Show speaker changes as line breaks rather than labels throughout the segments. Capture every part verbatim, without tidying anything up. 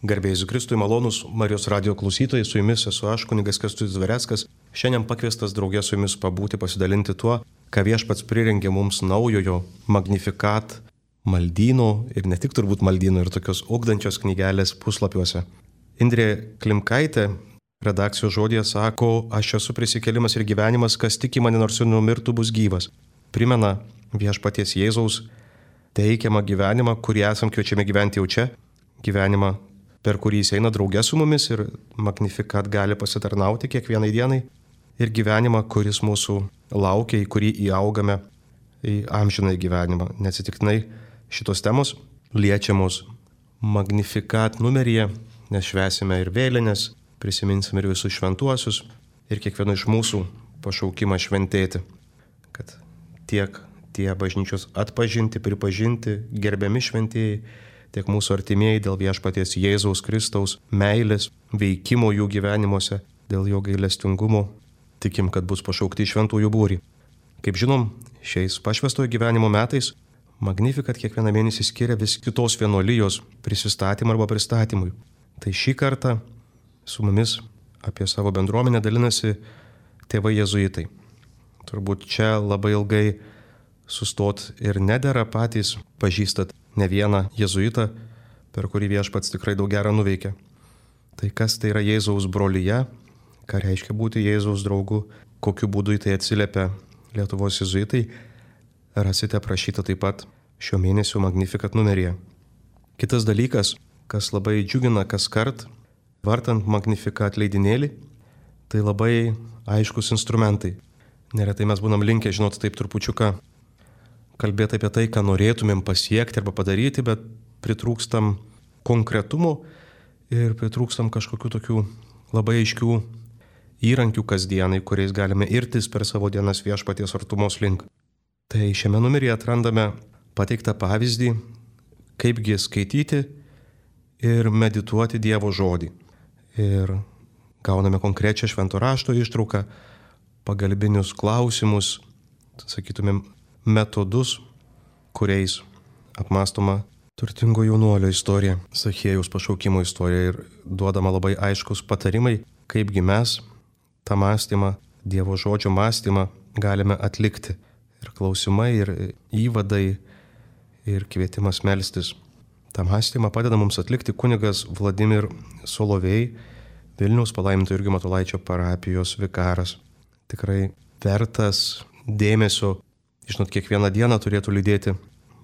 Garbėjai Jėzui Kristui, malonūs Marijos radijo klausytojai, su jumis esu aš, kunigas Kęstutis Dvareckas. Šiandien pakviestas draugė su jumis pabūti, pasidalinti tuo, ką Viešpats prirengė mums naujojo Magnificat maldyno ir ne tik turbūt maldyno ir tokios ugdančios knygelės puslapiuose. Indrė Klimkaitė redakcijos žodėje sako, aš esu prisikėlimas ir gyvenimas, kas tiki mane nors ir numirtų bus gyvas. Primena Viešpaties Jėzaus teikiamą gyvenimą, kurį esam kviečiami gyventi jau čia, gyvenimą, per kurį jis eina draugė su mumis ir Magnificat gali pasitarnauti kiekvienai dienai, ir gyvenimą, kuris mūsų laukia, į kurį įaugame į amžinąjį gyvenimą. Neatsitiktinai šitos temos liečiamos Magnificat numeryje, nes švęsime ir vėlinės, prisiminsime ir visus šventuosius ir kiekvieno iš mūsų pašaukimą šventėti, kad tiek tie bažnyčios atpažinti, pripažinti, gerbiami šventieji, tiek mūsų artimieji dėl Viešpaties Jėzaus Kristaus meilės, veikimo jų gyvenimuose, dėl jo gailestingumo, tikim, kad bus pašaukti šventųjų būrį. Kaip žinom, šiais pašvęstojo gyvenimo metais Magnificat kiekvieną mėnesį skiria vis kitos vienuolijos prisistatymą arba pristatymui. Tai šį kartą su mumis apie savo bendruomenę dalinasi tėvai jėzuitai. Turbūt čia labai ilgai sustot ir nedera, patys pažįstat ne vieną jėzuitą, per kurį Viešpats tikrai daug gerą nuveikė. Tai kas tai yra Jėzaus brolyje, ką reiškia būti Jėzaus draugu, kokiu būdu į tai atsiliepia Lietuvos jėzuitai, rasite aprašyta taip pat šio mėnesio Magnificat numeryje. Kitas dalykas, kas labai džiugina kas kart, vartant Magnificat leidinėlį, tai labai aiškus instrumentai. Neretai mes būnam linkę, žinot, taip trupučiuką kalbėti apie tai, ką norėtumėm pasiekti arba padaryti, bet pritrūkstam konkretumo ir pritrūkstam kažkokių tokių labai aiškių įrankių kasdienai, kuriais galime irtis per savo dienas Viešpaties artumos link. Tai šiame numeryje atrandame pateiktą pavyzdį, kaipgi skaityti ir medituoti Dievo žodį. Ir gauname konkrečią švento rašto ištrauką, pagalbinius klausimus, sakytumėm, metodus, kuriais apmąstoma turtingo jaunuolio istorija, Zachiejaus pašaukimo istorija ir duodama labai aiškus patarimai, kaipgi mes tą mąstymą, Dievo žodžio mąstymą galime atlikti. Ir klausimai, ir įvadai, ir kvietimas melstis. tą mąstymą padeda mums atlikti kunigas Vladimir Solovej, Vilniaus palaiminto Jurgio Matulaičio parapijos vikaras. Tikrai vertas dėmesio, žinot, kiekvieną dieną turėtų lydėti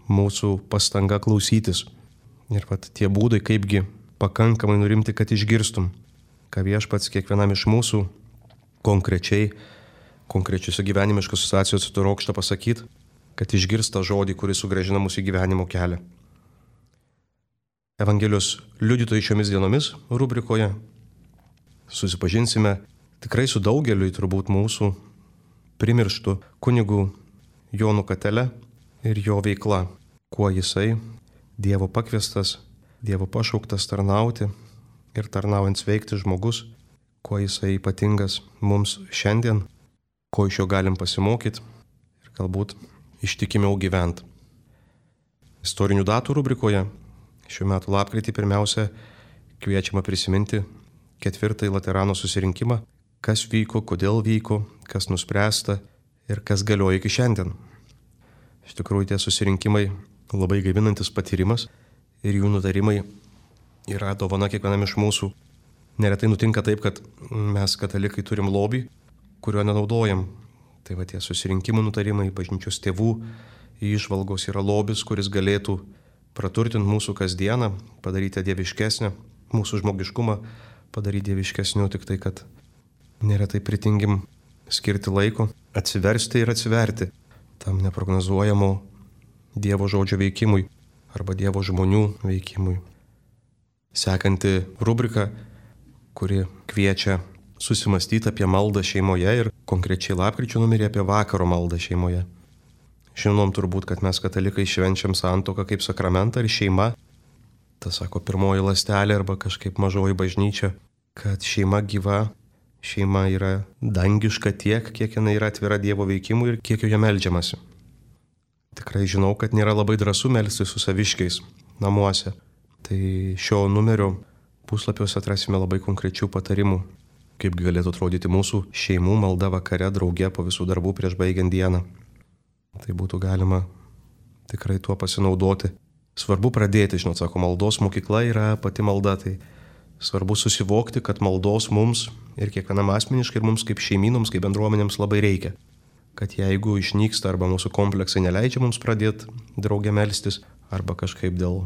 mūsų pastanga klausytis. Ir pat tie būdai, kaipgi pakankamai nurimti, kad išgirstum, ką Viešpats kiekvienam iš mūsų konkrečiai, konkrečiuose gyvenimiškos situacijose trokšta pasakyti, kad išgirsta žodį, kuris sugrąžina mūsų į gyvenimo kelią. Evangelijos liudytojai šiomis dienomis rubrikoje susipažinsime tikrai su daugeliu turbūt mūsų primirštų kunigų Jonu Katele ir jo veikla, kuo jisai Dievo pakviestas, Dievo pašauktas tarnauti ir tarnaujant sveikti žmogus, kuo jisai ypatingas mums šiandien, ko iš jo galim pasimokyti ir galbūt ištikimiau gyventi. Istorinių datų rubrikoje šiuo metu lapkritį pirmiausia kviečiama prisiminti ketvirtąjį Laterano susirinkimą, kas vyko, kodėl vyko, kas nuspręsta ir kas galioja iki šiandien. Iš tikrųjų, tie susirinkimai labai gaivinantis patyrimas ir jų nutarimai yra dovana kiekvienam iš mūsų. Neretai nutinka taip, kad mes katalikai turim lobį, kurio nenaudojam. Tai va tie susirinkimų nutarimai, bažnyčios tėvų įžvalgos yra lobis, kuris galėtų praturtinti mūsų kasdieną, padaryti dieviškesnę, mūsų žmogiškumą padaryti dieviškesniu, tik tai, kad neretai pritingim skirti laiko, atsiversti ir atsiverti tam neprognozuojamo Dievo žodžio veikimui arba Dievo žmonių veikimui. Sekanti rubrika, kuri kviečia susimastyti apie maldą šeimoje ir konkrečiai lapkričio numerį apie vakaro maldą šeimoje. Žinom turbūt, kad mes katalikai švenčiam santuoką kaip sakramentą ir šeima, ta sako pirmoji ląstelė arba kažkaip mažoji bažnyčia, kad šeima gyva, šeima yra dangiška tiek, kiek jinai yra atvira Dievo veikimui ir kiek joje meldžiamasi. Tikrai žinau, kad nėra labai drąsu melstis su saviškiais namuose. Tai šio numerio puslapiuose atrasime labai konkrečių patarimų, kaip galėtų atrodyti mūsų šeimų malda vakare drauge po visų darbų prieš baigiant dieną. Tai būtų galima tikrai tuo pasinaudoti. Svarbu pradėti, žinot, sako, maldos mokykla yra pati malda, tai svarbu susivokti, kad maldos mums ir kiekvienam asmeniškai ir mums kaip šeimynoms, kaip bendruomenėms labai reikia. Kad jeigu išnyksta arba mūsų kompleksai neleidžia mums pradėti drauge melstis, arba kažkaip dėl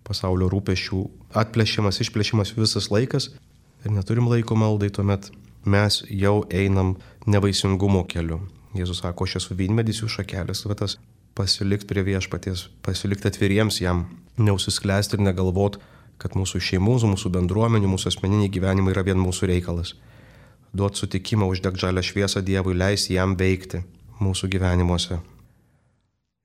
pasaulio rūpesčių atplėšimas, išplėšimas visas laikas ir neturim laiko maldai, tuomet mes jau einam nevaisingumo keliu. Jėzus sako, aš esu vynmedis, jų šakelės, va tas pasilikti prie viešpaties, pasilikti atviriems jam, neužsisklęsti ir negalvot, kad mūsų šeimų, mūsų bendruomenių, mūsų asmeniniai gyvenimai yra vien mūsų reikalas. Duot sutikimą, uždegt žalią šviesą Dievui, leis jam veikti mūsų gyvenimuose.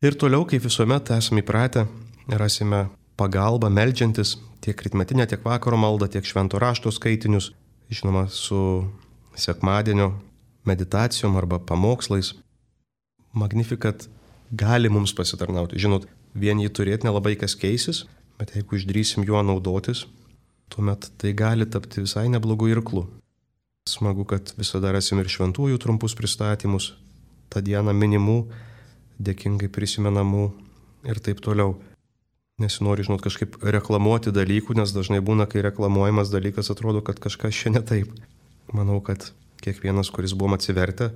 Ir toliau, kaip visuomet esame įpratę, rasime pagalbą meldžiantis tiek rytmetinę, tiek vakaro maldą, tiek švento rašto skaitinius, žinoma, su sekmadienio meditacijom arba pamokslais. Magnificat gali mums pasitarnauti. Žinot, vien jį turėti nelabai kas keisis, bet jeigu išdrysim juo naudotis, tuomet tai gali tapti visai neblogų irklų. Smagu, kad visada rasim ir šventųjų trumpus pristatymus, tą dieną minimų, dėkingai prisimenamų ir taip toliau. Nesinori, žinot, kažkaip reklamuoti dalykų, nes dažnai būna, kai reklamuojamas dalykas, atrodo, kad kažkas čia ne taip. Manau, kad kiekvienas, kuris buvom atsivertę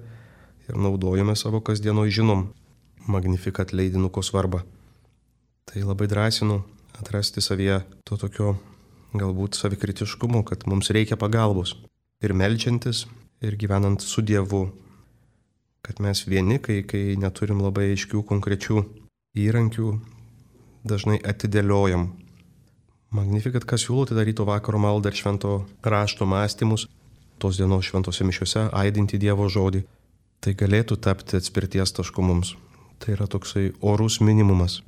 ir naudojame savo kasdienoj, žinom Magnificat leidinuko svarbą. Tai labai drąsinu atrasti savyje to tokio galbūt savikritiškumo, kad mums reikia pagalbos. Ir meldžiantis, ir gyvenant su Dievu. Kad mes vieni, kai, kai neturim labai aiškių konkrečių įrankių, dažnai atidėliojam. Magnificat, kas siūlo, tai daryti vakaro maldą ir švento rašto mąstymus, tos dienos šventose mišiuose aidinti Dievo žodį. Tai galėtų tapti atspirties tašku mums. Tai yra toksai orus minimumas,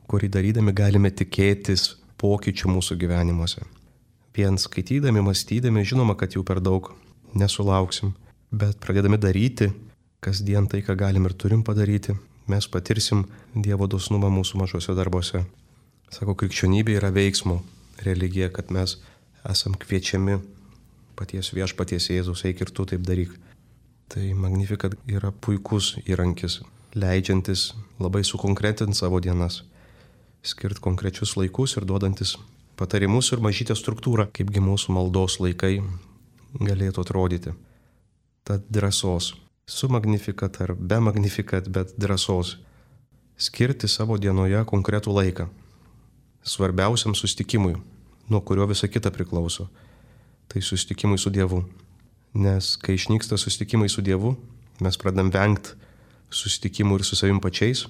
kurį darydami galime tikėtis pokyčių mūsų gyvenimuose. Vien skaitydami, mąstydami, žinoma, kad jau per daug nesulauksim, bet pradėdami daryti kasdien tai, ką galim ir turim padaryti, mes patirsim Dievo dosnumą mūsų mažose darbuose. Sako, krikščionybė yra veiksmo religija, kad mes esam kviečiami paties viešpaties Jėzus, eik ir tu taip daryk. Tai Magnificat yra puikus įrankis, leidžiantis labai sukonkretinti savo dienas, skirti konkrečius laikus ir duodantis patarimus ir mažytę struktūrą, kaipgi mūsų maldos laikai galėtų atrodyti. Tad drąsos, su Magnificat ar be Magnificat, bet drąsos, skirti savo dienoje konkretų laiką, svarbiausiam sustikimui, nuo kurio visa kita priklauso, tai sustikimui su Dievu. Nes kai išnyksta sustikimai su Dievu, mes pradam vengti sustikimų ir su savim pačiais,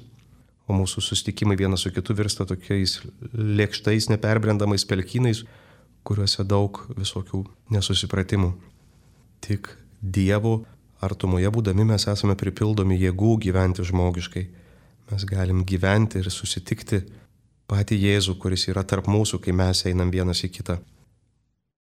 o mūsų sustikimai vienas su kitu virsta tokiais lėkštais, neperbrendamais pelkynais, kuriuose daug visokių nesusipratimų. Tik Dievo artumoje būdami mes esame pripildomi jėgų gyventi žmogiškai. Mes galim gyventi ir susitikti patį Jėzų, kuris yra tarp mūsų, kai mes einam vienas į kitą.